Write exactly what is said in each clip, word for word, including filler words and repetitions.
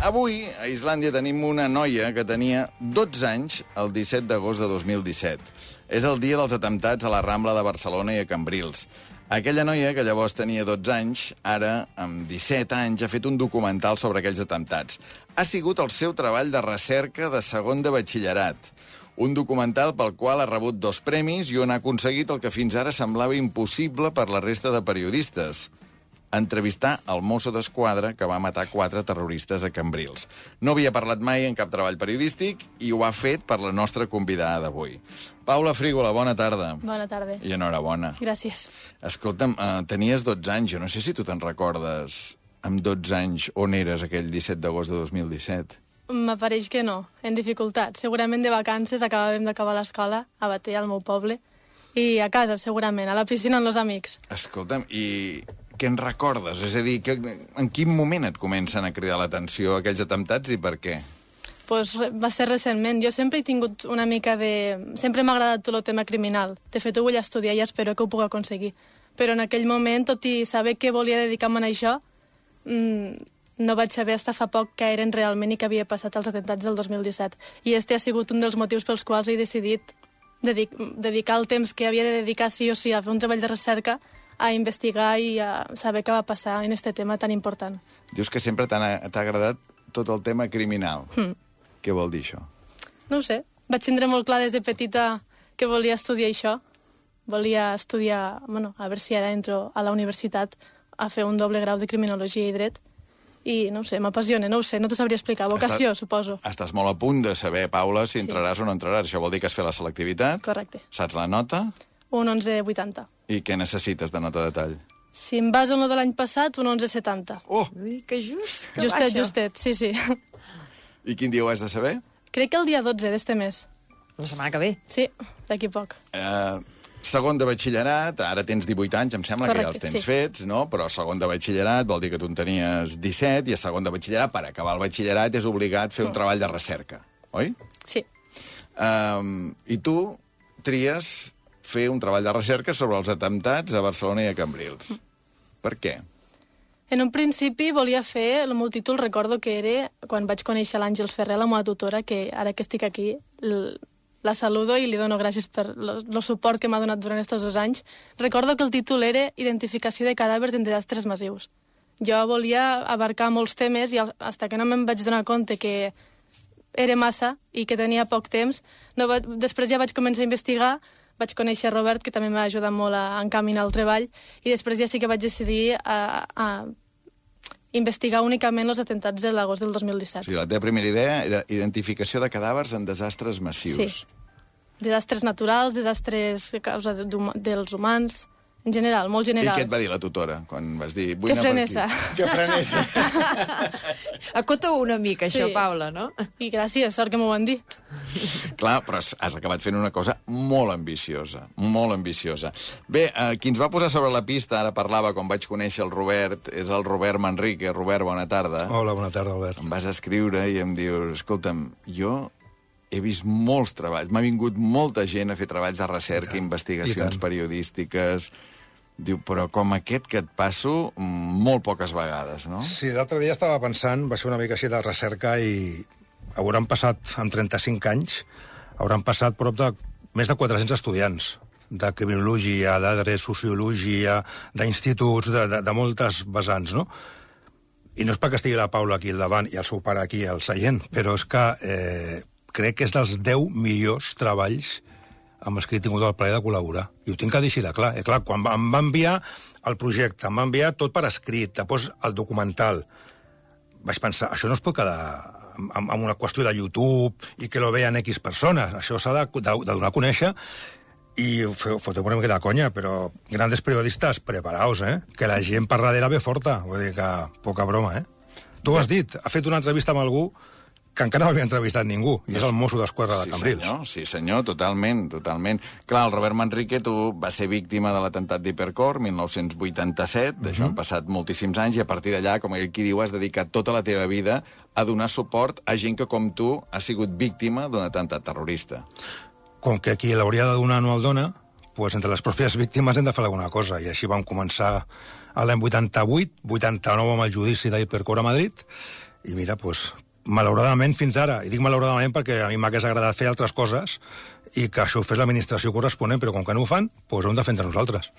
avui a Islàndia tenim una noia que tenia dotze anys el disset d'agost de dos mil disset. És el dia dels atemptats a la Rambla de Barcelona i a Cambrils. Aquella noia, que llavors tenia dotze anys, ara, amb disset anys, ha fet un documental sobre aquells atemptats. Ha sigut el seu treball de recerca de segon de batxillerat. Un documental pel qual ha rebut dos premis i on ha aconseguit el que fins ara semblava impossible per la resta de periodistes: entrevistar el mosso d'esquadra que va matar quatre terroristes a Cambrils. No havia parlat mai en cap treball periodístic i ho ha fet per la nostra convidada d'avui. Paula Frígola, bona tarda. Bona tarda. I enhorabona. Gràcies. Escolta'm, eh, tenies dotze anys, jo no sé si tu te'n recordes amb dotze anys on eres aquell disset d'agost de dos mil disset. M'apareix que no, en dificultat. Segurament de vacances, acabàvem d'acabar l'escola, a Batea, al meu poble, i a casa, segurament, a la piscina amb els amics. Escolta'm, i què en recordes? És a dir, que, en quin moment et comencen a cridar l'atenció aquells atemptats i per què? Pues va ser recentment. Jo sempre he tingut una mica de... Sempre m'ha agradat tot el tema criminal. De fet, ho vull estudiar i espero que ho pugui aconseguir. Però en aquell moment, tot i saber que volia dedicar-me a això, mmm, no vaig saber fins fa poc què eren realment i què havia passat als atemptats del dos mil disset. I este ha sigut un dels motius pels quals he decidit dedic dedicar el temps que havia de dedicar sí o sí a fer un treball de recerca, a investigar i a saber què va passar en este tema tan important. Dius que sempre t'ha agradat tot el tema criminal. Mm. Què vol dir això? No ho sé. Vaig tindre molt clar des de petita que volia estudiar això. Volia estudiar, bueno, a veure si ara entro a la universitat a fer un doble grau de Criminologia i Dret. I, no ho sé, m'apassiona, no ho sé, no t'ho sabria explicar. Vocació, Estàs, suposo. Estàs molt a punt de saber, Paula, si entraràs sí. o no entraràs. Això vol dir que has fet la selectivitat. Correcte. Saps la nota? Un onze vuitanta. I què necessites de nota de tall? Si em baso en el de l'any passat, un onze setanta. Oh! Ui, que just, que justet, baixa. justet, sí, sí. I quin dia ho has de saber? Crec que el dia dotze d'este mes. La setmana que ve. Sí, d'aquí poc. Eh... Segon de batxillerat, ara tens divuit anys, em sembla. Correcte, que ja els tens sí. fets, no? Però segon de batxillerat vol dir que tu en tenies disset, i a segon de batxillerat, per acabar el batxillerat, és obligat fer un mm. treball de recerca, oi? Sí. Um, I tu tries fer un treball de recerca sobre els atemptats a Barcelona i a Cambrils. Mm. Per què? En un principi volia fer, el meu títol recordo que era, quan vaig conèixer l'Àngels Ferrer, la meva tutora, que ara que estic aquí, la saludo i li dono gràcies per el suport que m'ha donat durant aquests dos anys. Recordo que el títol era Identificació de cadàvers en desastres massius. Jo volia abarcar molts temes i fins que no me'n vaig donar compte que era massa i que tenia poc temps, no va... després ja vaig començar a investigar, vaig conèixer Robert, que també m'ha ajudat molt a encaminar el treball, i després ja sí que vaig decidir a, a investigar únicament els atemptats de l'agost del dos mil disset. O sigui, la teva primera idea era identificació de cadàvers en desastres massius. Sí. Desastres naturals, desastres a causa de, dels humans, en general, molt general. I què et va dir la tutora quan vas dir... Que frenessa. Que frenessa. Acota-ho una mica, això, sí. Paula, no? I gràcies, sort que m'ho van dir. Clar, però has acabat fent una cosa molt ambiciosa, molt ambiciosa. Bé, eh, qui ens va posar sobre la pista, ara parlava quan vaig conèixer el Robert, és el Robert Manrique. Robert, bona tarda. Hola, bona tarda, Albert. Em vas escriure i em dius, escolta'm, jo he vist molts treballs, m'ha vingut molta gent a fer treballs de recerca, investigacions periodístiques. Diu, però com aquest que et passo molt poques vegades, no? Sí, l'altre dia estava pensant, va ser una mica així de recerca i hauran passat, amb trenta-cinc anys, hauran passat prop de més de quatre-cents estudiants de criminologia, de dret, sociologia, d'instituts, de, de, de moltes vessants, no? I no és perquè estigui la Paula aquí al davant i el seu pare aquí al seient, però és que eh, crec que és dels deu millors treballs amb els que he tingut el plaer de col·laborar. I ho tinc que dir així de clar. I clar, quan em va enviar el projecte, em va enviar tot per escrit, després el documental, vaig pensar, això no es pot quedar amb, amb una qüestió de YouTube i que lo vean X persones. Això s'ha de, de, de donar a conèixer i foteu una mica de conya, però grandes periodistes, preparaos, eh? Que la gent per darrere ve forta. Vull dir que poca broma, eh? Tu ho has dit, ha fet una entrevista amb algú que encara no havia entrevistat ningú, i és el mosso d'esquadra de Cambrils. Sí, senyor, sí, senyor, totalment, totalment. Clar, el Robert Manrique, tu va ser víctima de l'atemptat d'Hipercor, mil nou-cents vuitanta-set, uh-huh. D'això han passat moltíssims anys, i a partir d'allà, com qui diu, has dedicat tota la teva vida a donar suport a gent que, com tu, ha sigut víctima d'un atemptat terrorista. Com que qui l'hauria de donar no el dona, pues entre les pròpies víctimes hem de fer alguna cosa, i així vam començar a l'any vuitanta-vuit, vuitanta-nou amb el judici d'Hipercor a Madrid, I mira, doncs, malauradament fins ara, i dic malauradament perquè a mi m'hagués agradat fer altres coses i que això ho fes l'administració corresponent, però com que no ho fan, doncs ho hem de fer entre nosaltres.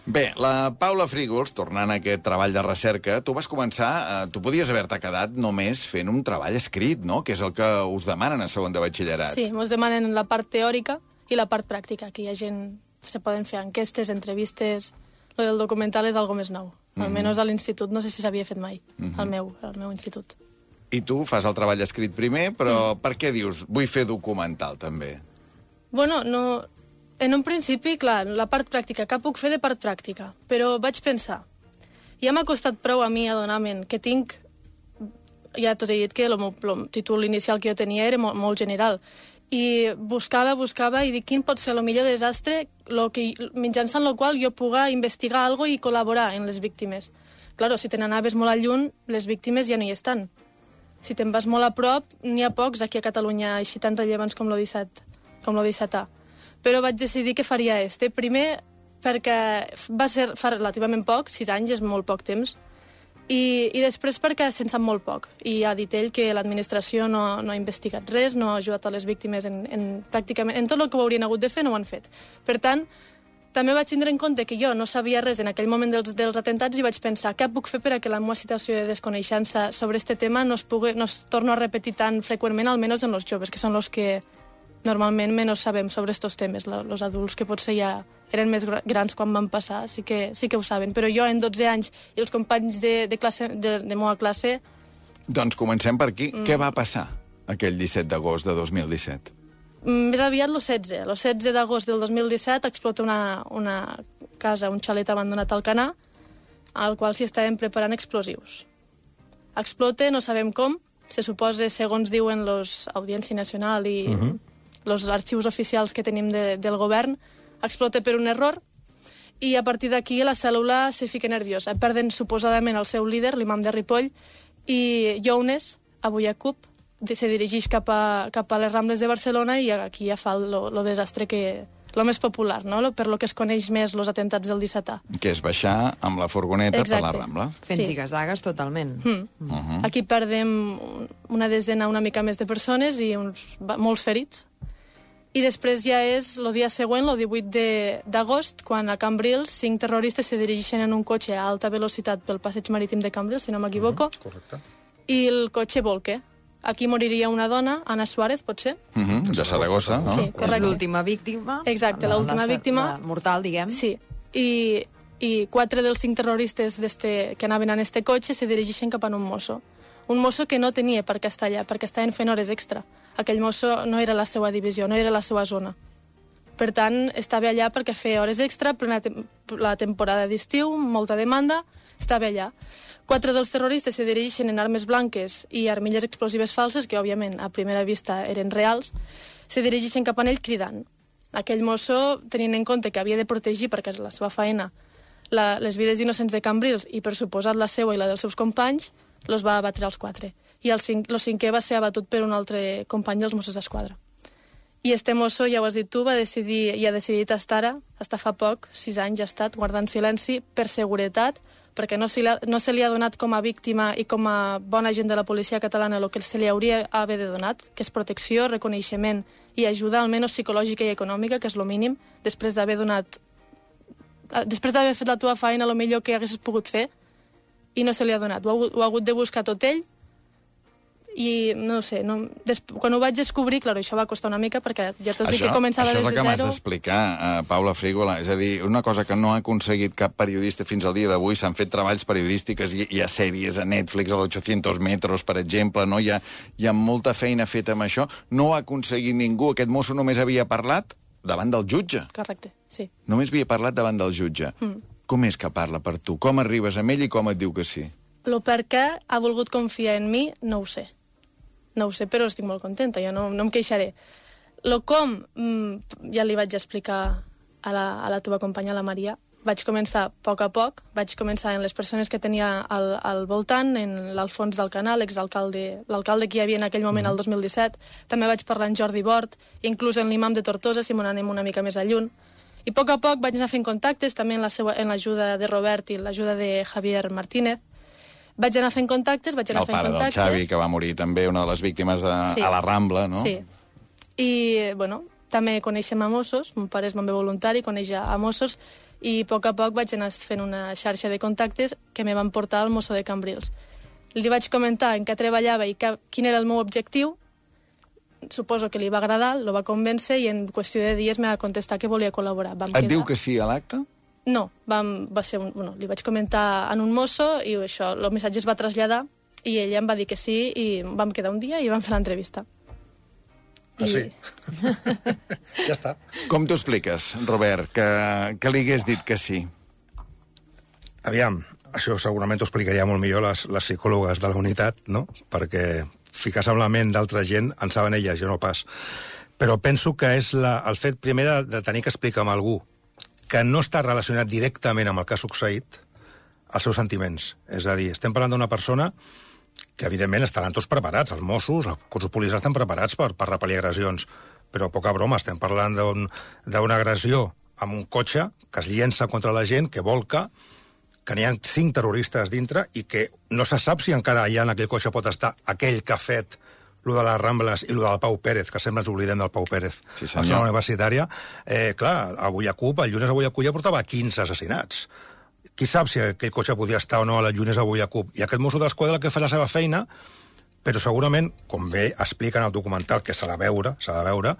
Bé, la Paula Frígols, tornant a aquest treball de recerca, tu vas començar, eh, tu podies haver-te quedat només fent un treball escrit, no?, que és el que us demanen a segon de batxillerat. Sí, ens demanen la part teòrica i la part pràctica, que hi ha gent... Se poden fer enquestes, entrevistes... Lo del documental és algo més nou. Mm-hmm. Almenys a l'institut no sé si s'havia fet mai, Mm-hmm. al, meu, al meu institut. I tu fas el treball escrit primer, però per què dius, vull fer documental, també? Bueno, no... En un principi, clar, la part pràctica, què puc fer de part pràctica? Però vaig pensar, ja m'ha costat prou a mi adonar-me'n que tinc... Ja t'ho he dit que el, el títol inicial que jo tenia era molt, molt general. I buscava, buscava, i dic, quin pot ser el millor desastre lo que, mitjançant el qual jo puga investigar alguna cosa i col·laborar en les víctimes. Claro, si te n'anaves molt a lluny, les víctimes ja no hi estan. Si te'n vas molt a prop, n'hi ha pocs aquí a Catalunya així tan rellevants com lo disset, com lo dissetà. Però vaig decidir que faria este. Primer, perquè va ser fa relativament poc, sis anys és molt poc temps, i, i després perquè se'n sap molt poc. I ha dit ell que l'administració no, no ha investigat res, no ha ajudat a les víctimes en, en, pràcticament, en tot el que ho haurien hagut de fer no ho han fet. Per tant, també vaig tindre en compte que jo no sabia res en aquell moment dels, dels atentats i vaig pensar què puc fer per a que la meva situació de desconeixença sobre este tema no es, pugui, no es torno a repetir tan freqüentment, almenys en els joves, que són els que normalment menys sabem sobre estos temes. Els adults que potser ja eren més grans quan van passar, sí que, sí que ho saben. Però jo, en dotze anys, i els companys de, de, classe, de, de meva classe... Doncs comencem per aquí. Mm. Què va passar aquell disset d'agost de dos mil disset? Més aviat el setze. El setze d'agost del dos mil disset explota una, una casa, un xalet abandonat al Canà, al qual s'hi estaven preparant explosius. Explota, no sabem com, se suposa, segons diuen los Audiència Nacional i uh-huh. los arxius oficials que tenim de, del govern, explota per un error i a partir d'aquí la cèl·lula se fica nerviosa. Perden suposadament el seu líder, l'imam de Ripoll, i Younes, avui a CUP, se dirigeix cap a, cap a les Rambles de Barcelona i aquí ja fa el desastre que... lo més popular, no? Per lo que es coneix més els atentats del dissetà. Que és baixar amb la furgoneta Exacte. per la Rambla. Fent Sí. zigazagues totalment. Mm. Uh -huh. Aquí perdem una desena, una mica més de persones i uns, molts ferits. I després ja és el dia següent, el divuit d'agost, quan a Cambrils cinc terroristes se dirigeixen en un cotxe a alta velocitat pel passeig marítim de Cambrils, si no m'equivoco, Mm, correcte. i el cotxe volca. Aquí moriria una dona, Ana Suárez, potser? Uh -huh. De Saragossa, no? Sí, És correcte. l'última víctima. Exacte, la- l'última la- víctima. la mortal, diguem. Sí, i, i quatre dels cinc terroristes que anaven en este cotxe se dirigeixen cap a un mosso. Un mosso que no tenia per què estar allà, perquè estaven fent hores extra. Aquell mosso no era la seva divisió, no era la seva zona. Per tant, estava allà perquè feia hores extra, plena tem la temporada d'estiu, molta demanda, estava allà. Quatre dels terroristes se dirigeixen en armes blanques i armilles explosives falses, que òbviament a primera vista eren reals, se dirigeixen cap a ell cridant. Aquell mosso, tenint en compte que havia de protegir, perquè és la seva feina, la, les vides innocents de Cambrils i, per suposat, la seva i la dels seus companys, los va abatre als quatre. I el, cinc, el cinquè va ser abatut per un altre company dels Mossos d'Esquadra. I este mosso, ja ho has dit tu, va decidir, i ha decidit estar ara, hasta fa poc, sis anys ha estat, guardant silenci per seguretat, perquè no se, li ha, no se li ha donat com a víctima i com a bon agent de la policia catalana el que se li hauria haver de donat, que és protecció, reconeixement i ajuda, almenys psicològica i econòmica, que és el mínim, després d'haver donat... Després d'haver fet la teva feina, el millor que haguessis pogut fer, i no se li ha donat. Ho ha, ho ha hagut de buscar tot ell, i no sé, no, des, quan ho vaig descobrir, clar, això va costar una mica perquè ja t'ho dic que començava això des és el de que m'has zero. d'explicar, uh, Paula Frígola. És a dir, una cosa que no ha aconseguit cap periodista fins al dia d'avui, s'han fet treballs periodístics, hi, hi ha sèries a Netflix, a l'ochocientos metros, per exemple, no? Hi ha, hi ha molta feina feta amb això. No ho ha aconseguit ningú. Aquest mosso només havia parlat davant del jutge. Correcte, sí. Només havia parlat davant del jutge. Mm. Com és que parla per tu? Com arribes amb ell i com et diu que sí? Lo per què ha volgut confiar en mi, no ho sé. No ho sé, però estic molt contenta, jo no, no em queixaré. Lo com, mmm, ja li vaig explicar a la, a la teva companya, la Maria. Vaig començar a poc a poc, vaig començar en les persones que tenia al, al voltant, en l'Alfons del Canal, l'exalcalde, l'alcalde que hi havia en aquell moment, el dos mil disset. També vaig parlar amb Jordi Bort, inclús en l'imam de Tortosa, si m'ho anem una mica més a lluny. I a poc a poc vaig anar fent contactes, també en la seva, en l'ajuda de Robert i l'ajuda de Javier Martínez. Vaig anar fent contactes, vaig anar El fent pare del contactes. Xavi, que va morir també, una de les víctimes de, Sí. a la Rambla, no? Sí. I, bueno, també coneixem a Mossos, mon pare és bomber voluntari, coneix a Mossos, i a poc a poc vaig anar fent una xarxa de contactes que me van portar al mosso de Cambrils. Li vaig comentar en què treballava i que, quin era el meu objectiu. Suposo que li va agradar, lo va convèncer i en qüestió de dies me va contestar que volia col·laborar. Vam Et quedar... diu que sí a l'acte? No, vam, va ser un, bueno, li vaig comentar en un mosso i això, el missatge es va traslladar i ella em va dir que sí i vam quedar un dia i vam fer l'entrevista. Ah, sí? I... Ja està. Com t'ho expliques, Robert, que, que li hagués dit que sí? Aviam, això segurament t'ho explicaria molt millor les, les psicòlogues de la unitat, no? Perquè ficar-se en la ment d'altra gent en saben elles, jo no pas. Però penso que és la, el fet primer de, de tenir que explicar amb algú que no està relacionat directament amb el que ha succeït, els seus sentiments. És a dir, estem parlant d'una persona que, evidentment, estaran tots preparats. Els Mossos, els cossos policials estan preparats per, per repel·lir agressions. Però poca broma, estem parlant d'una un, agressió amb un cotxe que es llença contra la gent, que volca, que n'hi ha cinc terroristes dintre i que no se sap si encara allà en aquell cotxe pot estar aquell que ha fet lo de les Rambles i lo del Pau Pérez, que sempre ens oblidem del Pau Pérez, Sí, a la senyor. zona universitària. Eh, clar, a Bullacup, el llunes a Bullacup ja portava quinze assassinats. Qui sap si aquell cotxe podia estar o no a la llunes a Bullacup? I aquest mosso d'esquadra que fa la seva feina, però segurament, com bé explica en el documental, que s'ha de veure, s'ha de veure,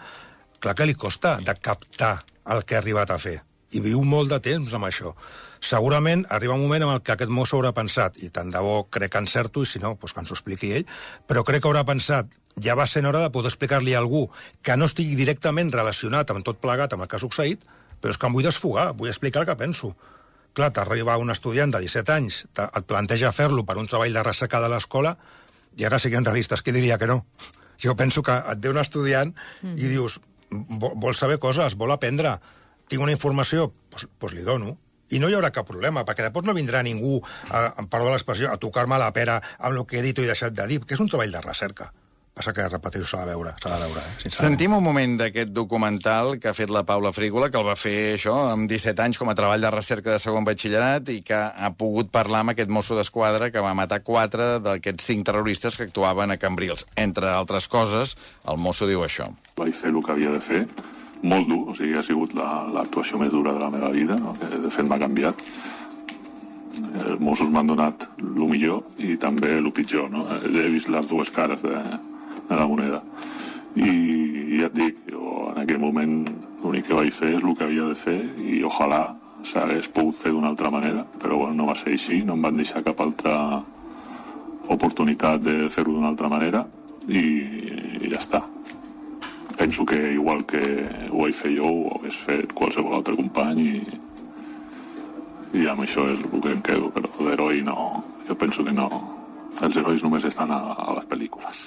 clar que li costa de captar el que ha arribat a fer. I viu molt de temps amb això. Segurament arriba un moment en el que aquest mosso haurà pensat, i tant de bo crec que encerto, i si no, doncs que ens ho expliqui ell, però crec que haurà pensat, ja va ser hora de poder explicar-li a algú que no estigui directament relacionat amb tot plegat amb el que ha succeït, però és que em vull desfogar, vull explicar el que penso. Clar, t'arriba un estudiant de disset anys, et planteja fer-lo per un treball de recerca de l'escola, i ara siguem realistes, qui diria que no? Jo penso que et ve un estudiant mm. i dius, vol saber coses, vol aprendre, tinc una informació, doncs, doncs li dono. I no hi haurà cap problema, perquè després no vindrà ningú, a, a perdó l'expressió, a tocar-me la pera amb el que he dit o he deixat de dir, que és un treball de recerca. Passa que, repeteixo, s'ha de veure, s'ha de veure, eh, sincerament. Sentim un moment d'aquest documental que ha fet la Paula Frígola, que el va fer això amb disset anys com a treball de recerca de segon batxillerat i que ha pogut parlar amb aquest mosso d'esquadra que va matar quatre d'aquests cinc terroristes que actuaven a Cambrils. Entre altres coses, el mosso diu això. Vaig fer el que havia de fer, molt dur, o sigui, ha sigut l'actuació la, més dura de la meva vida, no? Que de fet m'ha canviat. Els Mossos m'han donat el millor i també el pitjor, no? He vist les dues cares de, de la moneda. I, i ja et dic, jo en aquell moment l'únic que vaig fer és el que havia de fer i ojalà s'hagués pogut fer d'una altra manera, però bueno, no va ser així, no em van deixar cap altra oportunitat de fer-ho d'una altra manera i, i ja està. Penso que igual que ho vaig fer jo, ho hagués fet qualsevol altre company i, i amb això és el que em quedo, però d'heroi no, jo penso que no. Els herois només estan a, a les pel·lícules.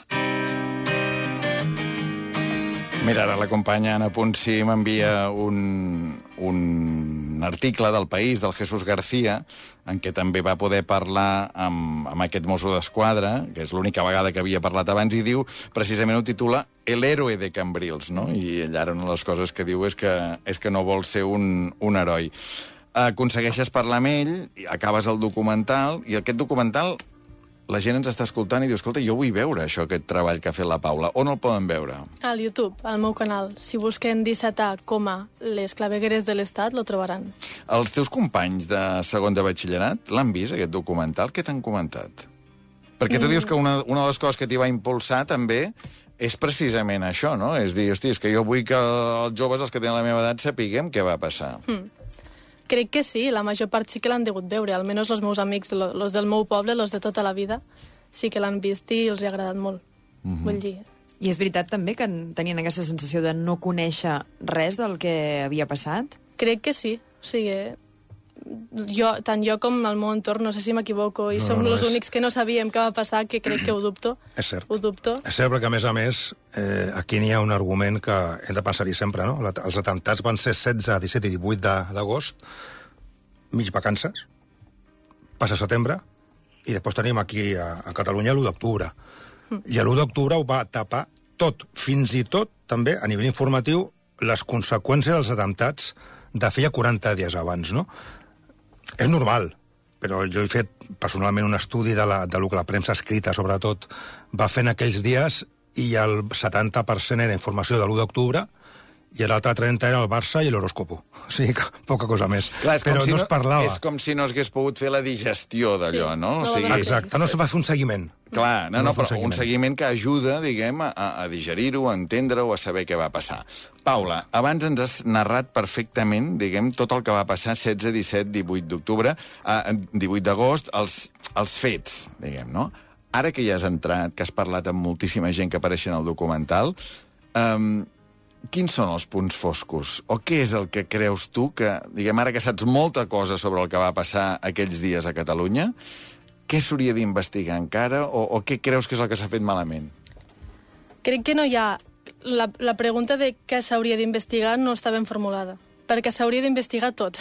Mira, ara la companya Anna Punsi m'envia un, un article del País, del Jesús García, en què també va poder parlar amb, amb aquest mosso d'esquadra, que és l'única vegada que havia parlat abans, i diu, precisament ho titula El héroe de Cambrils, no? I ell ara una de les coses que diu és que, és que no vol ser un, un heroi. Aconsegueixes parlar amb ell, acabes el documental, i aquest documental la gent ens està escoltant i diu, escolta, jo vull veure això, aquest treball que ha fet la Paula. On el poden veure? Al YouTube, al meu canal. Si busquen disset A, les clavegueres de l'Estat, lo trobaran. Els teus companys de segon de batxillerat l'han vist, aquest documental? Què t'han comentat? Perquè tu mm. dius que una, una de les coses que t'hi va impulsar també és precisament això, no? És dir, hosti, és que jo vull que els joves, els que tenen la meva edat, sapiguem què va passar. Mm. Crec que sí, la major part sí que l'han degut veure, almenys els meus amics, els del meu poble, els de tota la vida, sí que l'han vist i els ha agradat molt. Mm-hmm. Vull dir... I és veritat també que tenien aquesta sensació de no conèixer res del que havia passat? Crec que sí, o sigui, jo, tant jo com el meu entorn, no sé si m'equivoco, i No, som no, els és- únics que no sabíem què va passar, que crec que ho dubto. És cert. Ho dubto. És cert, perquè, a més a més, eh, aquí n'hi ha un argument que hem de pensar-hi sempre, no? La- Els atemptats van ser setze, disset i divuit d'agost, mig vacances, passa setembre, i després tenim aquí a, a Catalunya l'u d'octubre. I l'u d'octubre ho va tapar tot, fins i tot, també, a nivell informatiu, les conseqüències dels atemptats de feia quaranta dies abans, no? És normal, però jo he fet personalment un estudi de, la, de lo que la premsa escrita, sobretot, va fer en aquells dies, i el setanta per cent era informació de l'u d'octubre, i l'altre trenta era el Barça i l'horòscopo. O sigui, que poca cosa més. Clar, però si no es parlava. És com si no es hagués pogut fer la digestió d'allò, Sí, no? O no va sigui, donar Exacte, no se va fer un seguiment. clar, no, No no, fa un però un seguiment. seguiment que ajuda, diguem, a, a digerir-ho, a entendre-ho, a saber què va passar. Paula, abans ens has narrat perfectament, diguem, tot el que va passar setze, disset, divuit d'octubre, eh, divuit d'agost, els, els fets, diguem, no? Ara que ja has entrat, que has parlat amb moltíssima gent que apareix en el documental, eh, quins són els punts foscos? O què és el que creus tu que, diguem, ara que saps molta cosa sobre el que va passar aquells dies a Catalunya, què s'hauria d'investigar encara o, o què creus que és el que s'ha fet malament? Crec que no hi ha... La, la pregunta de què s'hauria d'investigar no està ben formulada, perquè s'hauria d'investigar tot.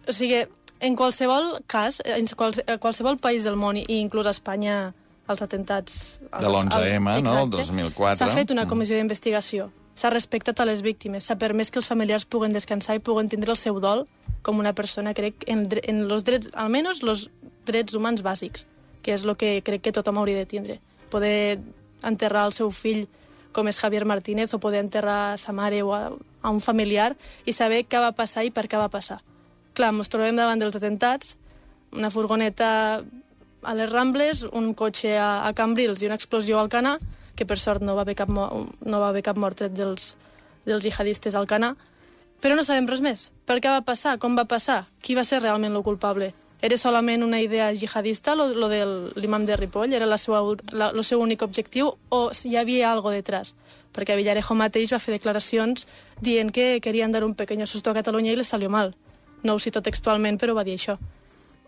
O sigui, en qualsevol cas, en quals, a qualsevol país del món, i inclús a Espanya, els atentats... De l'onze eme, no?, el dos mil quatre. S'ha fet una comissió d'investigació. S'ha respectat a les víctimes, s'ha permès que els familiars puguen descansar i puguen tindre el seu dol com una persona, crec, en, en los drets, almenys els drets humans bàsics, que és el que crec que tothom hauria de tindre. Poder enterrar el seu fill, com és Javier Martínez, o poder enterrar a sa mare o a, a un familiar i saber què va passar i per què va passar. Clar, ens trobem davant dels atentats, una furgoneta a les Rambles, un cotxe a, a Cambrils i una explosió a Alcanar, que per sort no va haver cap, no va haver cap mort tret dels, dels jihadistes al Alcanar, però no sabem res més. Per què va passar? Com va passar? Qui va ser realment el culpable? Era solament una idea jihadista, lo, lo de l'imam de Ripoll? Era la seva, la, el seu únic objectiu? O hi havia algo detrás? Perquè Villarejo mateix va fer declaracions dient que querien dar un pequeño susto a Catalunya i les salió mal. No ho cito textualment, però va dir això.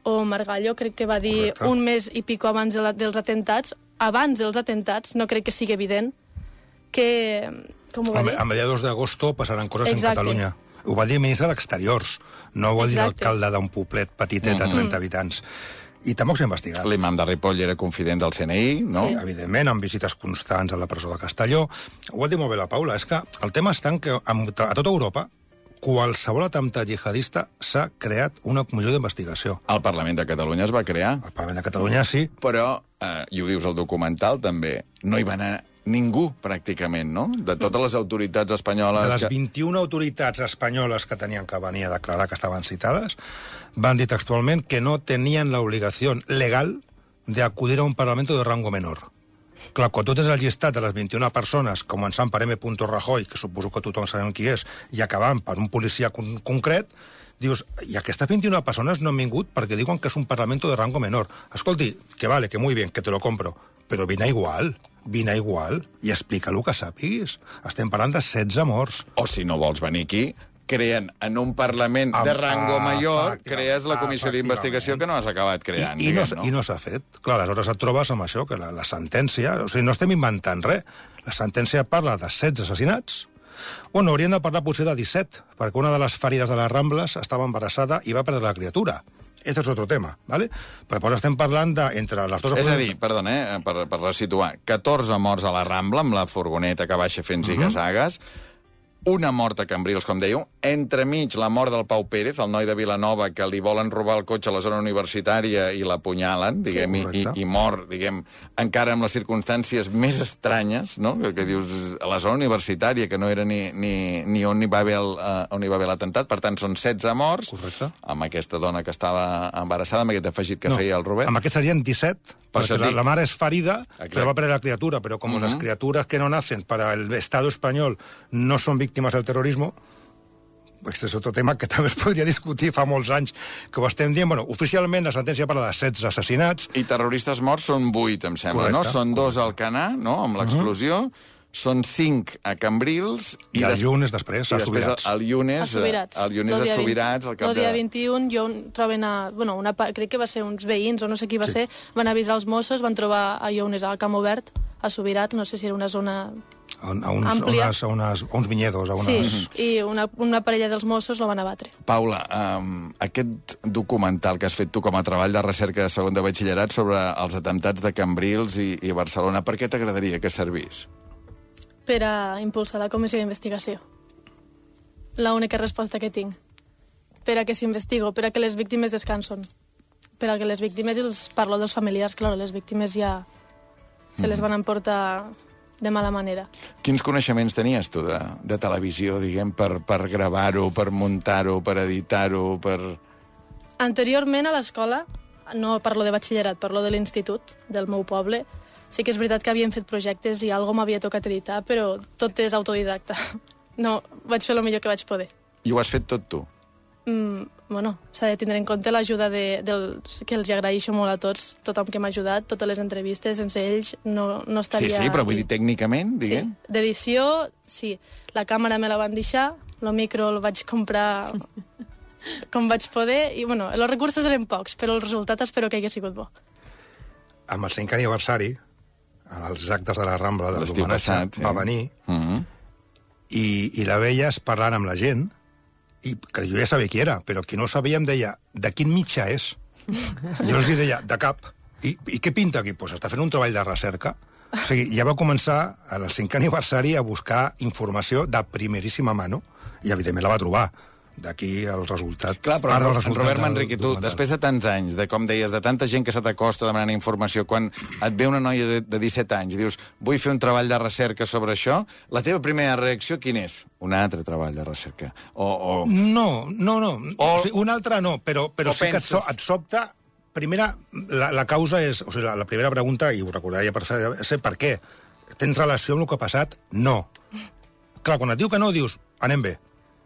O Margallo crec que va dir Correcte. un mes i pico abans de la, dels atentats, abans dels atentats, no crec que sigui evident, que... Com ho va dir? A mediados d'agosto passaran coses Exacte. en Catalunya. Ho va dir el ministre d'Exteriors, no ho va dir Exacte. l'alcalde d'un poblet petitet de trenta habitants. I tampoc s'ha investigat. L'imam de Ripoll era confident del C N I, no? Sí, evidentment, amb visites constants a la presó de Castelló. Ho ha dit molt bé la Paula, és que el tema està en que a tota Europa qualsevol atemptat jihadista s'ha creat una comissió d'investigació. El Parlament de Catalunya es va crear, Al Parlament de Catalunya sí, però, eh, i ho dius al documental també, no hi va anar ningú, pràcticament, no? De totes les autoritats espanyoles... de les que... vint-i-una autoritats espanyoles que tenien que venir a declarar que estaven citades, van dir textualment que no tenien la obligació legal de acudir a un parlamento de rango menor. Clar, quan tu tens el llistat de les vint-i-una persones, començant per M. Rajoy, que suposo que tothom sabem qui és, i acabant per un policia con concret, dius, i aquestes vint-i-una persones no han vingut perquè diuen que és un parlamento de rango menor. Escolti, que vale, que muy bien, que te lo compro, però vine igual, vine igual, i explica el que sàpiguis. Estem parlant de setze morts. O si no vols venir aquí, creen en un Parlament Amb- de rango ah, mayor, efectivament, crees la comissió d'investigació que no has acabat creant, I, i, no, diguem, no? I no s'ha fet. Clar, aleshores et trobes amb això, que la, la sentència... O sigui, no estem inventant res. La sentència parla de setze assassinats. Bueno, hauríem de parlar potser de disset, perquè una de les ferides de les Rambles estava embarassada i va perdre la criatura. Este és otro tema, ¿vale? Però després estem parlant de, entre les dues... És a dir, perdona, eh, per, per resituar, catorze morts a la Rambla, amb la furgoneta que baixa fent ziga-zagues, una mort a Cambrils, com dèieu, entremig la mort del Pau Pérez, el noi de Vilanova, que li volen robar el cotxe a la zona universitària i l'apunyalen, diguem, Sí, i, i mor, diguem, encara amb les circumstàncies més estranyes, no?, que, que dius, a la zona universitària, que no era ni, ni, ni on hi va haver el, uh, on hi va haver l'atemptat, per tant, són setze morts, Correcte. amb aquesta dona que estava embarassada, amb aquest afegit que No, feia el Robert. amb aquest serien disset, Per perquè això la, dic. la mare és ferida, Exacte. però va perdre la criatura, però com Mhm. les criaturas que no nacen para el Estado español no son víctimas del terrorismo, pues és otro tema que també es podria discutir fa molts anys que ho estem dient. Bueno, oficialment la sentència parla de setze assassinats. I terroristes morts són vuit, em sembla, Correcte, no? Són dos al Canà, no?, amb l'explosió, són cinc a Cambrils... I el des- Llunes després, i a després Subirats. el Llunes, A Subirats. el Llunes a Subirats, al cap El dia de... vint-i-un, jo troben a... Bueno, una, pa- crec que va ser uns veïns, o no sé qui va Sí. ser, van avisar els Mossos, van trobar a Llunes al Camp Obert, a Subirats, no sé si era una zona... A, a, uns, a, àmplia. unes, a, unes, a uns vinyedos, a unes... Sí, i una, una parella dels Mossos lo van abatre. Paula, um, aquest documental que has fet tu com a treball de recerca de segon de batxillerat sobre els atemptats de Cambrils i, i Barcelona, per què t'agradaria que servís? Per a impulsar la comissió d'investigació. L'única resposta que tinc. Per a que s'investigo, per a que les víctimes descansen. per a que les víctimes, i els parlo dels familiars, clar, les víctimes ja se les van emportar de mala manera. Quins coneixements tenies tu de, de televisió, diguem, per, per gravar-ho, per muntar-ho, per editar-ho, per... Anteriorment a l'escola, no parlo de batxillerat, parlo de l'institut del meu poble, sí que és veritat que havíem fet projectes i alguna m'havia tocat editar, però tot és autodidacta. No, vaig fer el millor que vaig poder. I ho has fet tot tu? Mm, bueno, s'ha de tindre en compte l'ajuda de, dels, que els agraeixo molt a tots, tothom que m'ha ajudat, totes les entrevistes, sense ells no, no estaria... Sí, sí, però vull dir tècnicament, diguem. Sí, d'edició, sí. La càmera me la van deixar, el micro el vaig comprar com vaig poder, i bueno, els recursos eren pocs, però el resultat espero que hagi sigut bo. Amb el cinquè aniversari, als actes de la Rambla de l'estiu passat, va venir, uh -huh. i, i la veies parlant amb la gent, i que jo ja sabia qui era, però qui no ho sabia em deia, de quin mitjà és? Jo els deia, de cap. I, i què pinta aquí? Doncs pues està fent un treball de recerca. O sigui, ja va començar al cinquè aniversari a buscar informació de primeríssima mano, i evidentment la va trobar. D'aquí el resultat... Clar, però en, en Robert Manrique, tu, després de tants anys, de com deies, de tanta gent que se t'acosta demanant informació, quan et ve una noia de, de disset anys i dius, vull fer un treball de recerca sobre això, la teva primera reacció quin és? Un altre treball de recerca. O, o... No, no, no. O... O sigui, un altre no, però, però sí penses... que et, so, et sobta... Primera, la, la causa és... O sigui, la, la primera pregunta, i ho recordaria per ser, per què? Tens relació amb el que ha passat? No. Clar, quan et diu que no, dius, anem bé.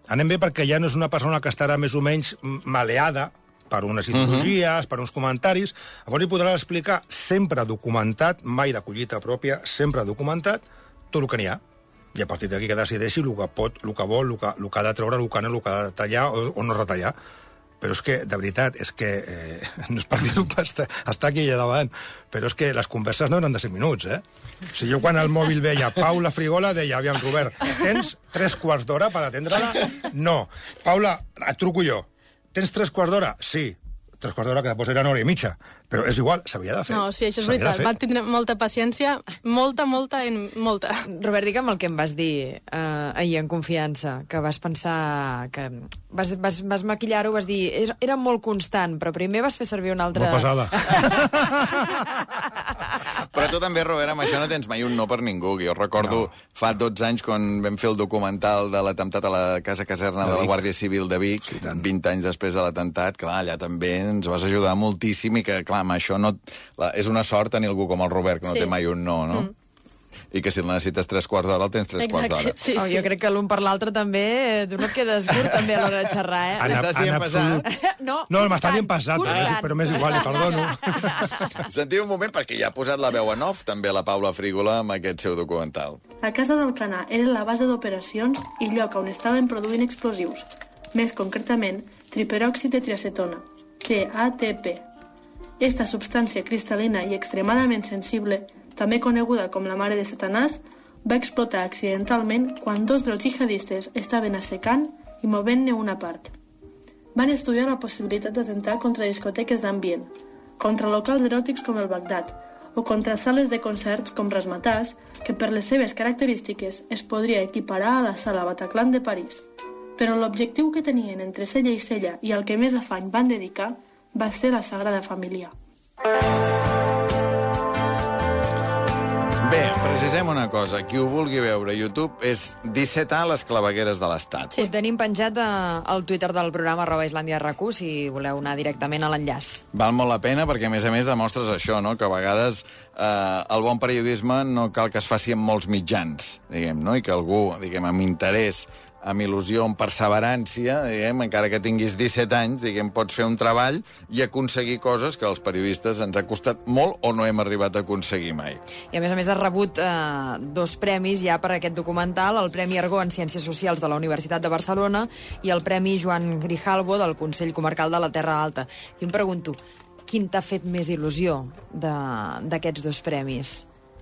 Anem bé perquè ja no és una persona que estarà més o menys maleada per unes ideologies, uh -huh. per uns comentaris. Llavors hi podràs explicar, sempre documentat, mai de collita pròpia, sempre documentat, tot el que n'hi ha. I a partir d'aquí que decideixi el que pot, el que vol, el que, el que ha de treure, el que no, el que ha de tallar o, o no retallar. Però és que, de veritat, és que... Eh, no és per dir-ho, està, està aquí allà davant, però és que les converses no eren de cinc minuts, eh? O sigui, jo quan al mòbil veia Paula Frigola, deia, aviam, Robert, tens tres quarts d'hora per atendre-la? No. Paula, et truco jo. Tens tres quarts d'hora? Sí. Tres quarts d'hora que després eren hora i mitja. Però és igual, s'havia de fer. No, sí, això és veritat. Van tindre molta paciència, molta, molta, i molta. Robert, digue'm el que em vas dir eh, ahir en confiança, que vas pensar que... Vas, vas, vas maquillar-ho, vas dir... Era, era molt constant, però primer vas fer servir una altra... Molt pesada. Però tu també, Robert, amb això no tens mai un no per ningú. Jo recordo no. fa dotze anys quan vam fer el documental de l'atemptat a la Casa Caserna de, de la Guàrdia Civil de Vic, sí, vint anys després de l'atemptat, clar, allà també ens vas ajudar moltíssim i que, clar, amb això no... La, és una sort tenir algú com el Robert, que no sí. té mai un no, no? Mm. I que si el necessites tres quarts d'hora, el tens tres Exacte, quarts d'hora. Sí, sí. Oh, jo crec que l'un per l'altre també... Tu no et quedes curt, també, a l'hora de xerrar, eh? En, Estàs en bien absolut... passat? No, no m'està bien passat, però, però m'és igual, li perdono. Sentiu un moment, perquè ja ha posat la veu en off, també la Paula Frígola, amb aquest seu documental. La Casa d'Alcanar era la base d'operacions i lloc on estaven produint explosius, més concretament triperòxid de triacetona, T A T P. Esta substància cristal·lina i extremadament sensible, també coneguda com la mare de Satanàs, va explotar accidentalment quan dos dels jihadistes estaven assecant i movent-ne una part. Van estudiar la possibilitat d'atemptar contra discoteques d'ambient, contra locals eròtics com el Bagdad, o contra sales de concerts com Razzmatazz, que per les seves característiques es podria equiparar a la sala Bataclan de París. Però l'objectiu que tenien entre cella i cella i al que més afany van dedicar va ser la Sagrada Família. Bé, precisem una cosa. Qui ho vulgui veure a YouTube és disset A, les clavegueres de l'Estat. Sí, tenim penjat al Twitter del programa arroba Islàndia R Q, si voleu anar directament a l'enllaç. Val molt la pena perquè, a més a més, demostres això, no? Que a vegades eh, el bon periodisme no cal que es faci amb molts mitjans, diguem, no? I que algú, diguem, amb interès, amb il·lusió, amb perseverància, diguem, encara que tinguis disset anys, diguem, pots fer un treball i aconseguir coses que als periodistes ens ha costat molt o no hem arribat a aconseguir mai. I a més a més has rebut eh, dos premis ja per aquest documental, el Premi Argó en Ciències Socials de la Universitat de Barcelona i el Premi Joan Grijalbo del Consell Comarcal de la Terra Alta. I em pregunto, quin t'ha fet més il·lusió d'aquests dos premis?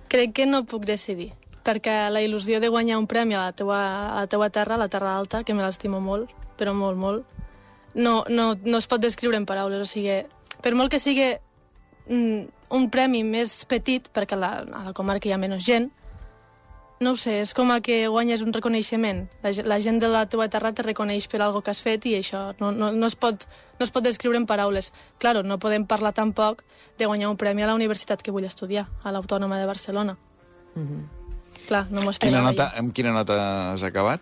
Crec que no puc decidir, perquè la il·lusió de guanyar un premi a la teua, a la teua terra, a la Terra Alta, que me l'estimo molt, però molt, molt, no, no, no es pot descriure en paraules. O sigui, per molt que sigui mm, un premi més petit, perquè a la, a la comarca hi ha menys gent, no ho sé, és com a que guanyes un reconeixement. La, la gent de la teua terra te reconeix per algo que has fet i això no, no, no es pot no es pot descriure en paraules. Claro, no podem parlar tampoc de guanyar un premi a la universitat que vull estudiar, a l'Autònoma de Barcelona. Mm-hmm. Clar, no m'ho Quina esperava nota, jo. amb quina nota has acabat?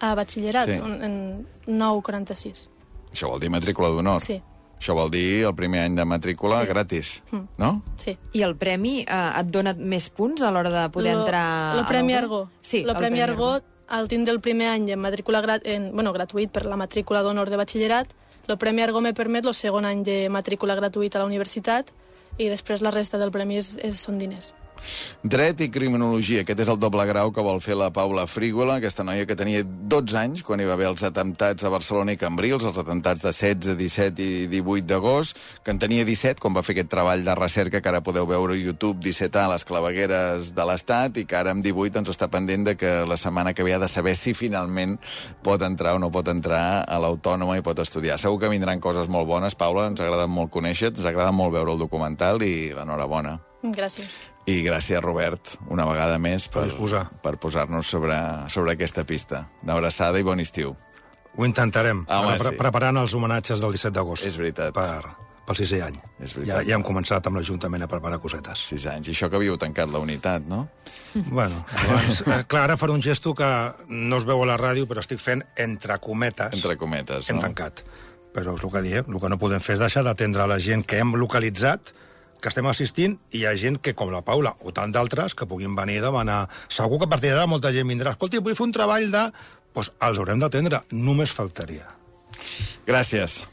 A batxillerat, Sí. un- en nou coma quaranta-sis. Això vol dir matrícula d'honor. Sí. Això vol dir el primer any de matrícula Sí. gratis, Mm. no? Sí. I el premi eh, et dona més punts a l'hora de poder Lo- entrar... Lo a Premi la U B? Argó. Sí, Lo el Premi Argó, al tindre el primer any en matrícula grat, en, bueno, gratuït per la matrícula d'honor de batxillerat, el Premi Argó me permet el segon any de matrícula gratuïta a la universitat i després la resta del premi és, és, són diners. Dret i criminologia, aquest és el doble grau que vol fer la Paula Frígola, aquesta noia que tenia dotze anys quan hi va haver els atemptats a Barcelona i Cambrils, els atemptats de setze, disset i divuit d'agost, que en tenia disset quan va fer aquest treball de recerca que ara podeu veure a YouTube, disset a les clavegueres de l'Estat, i que ara amb divuit doncs està pendent de que la setmana que ve ha de saber si finalment pot entrar o no pot entrar a l'Autònoma i pot estudiar. Segur que vindran coses molt bones, Paula, ens agrada molt conèixer-te, ens agrada molt veure el documental i l'enhorabona. Gràcies. I gràcies, Robert, una vegada més per, disposar. per posar-nos sobre, sobre aquesta pista. Una abraçada i bon estiu. Ho intentarem, Home, ara, pre sí. preparant els homenatges del disset d'agost. És veritat. Per, pel sisè any. És veritat. Ja, ja hem començat amb l'Ajuntament a preparar cosetes. Sis anys. I això que havíeu tancat la unitat, no? Bueno, abans, eh, clar, ara faré un gesto que no es veu a la ràdio, però estic fent entre cometes. Entre cometes, Hem no? tancat. Però és el que diem, el que no podem fer és deixar d'atendre la gent que hem localitzat, que estem assistint, i hi ha gent que, com la Paula, o tant d'altres, que puguin venir a demanar... Segur que a partir d'ara molta gent vindrà. Escolti, vull fer un treball de... Doncs els haurem d'atendre, només faltaria. Gràcies.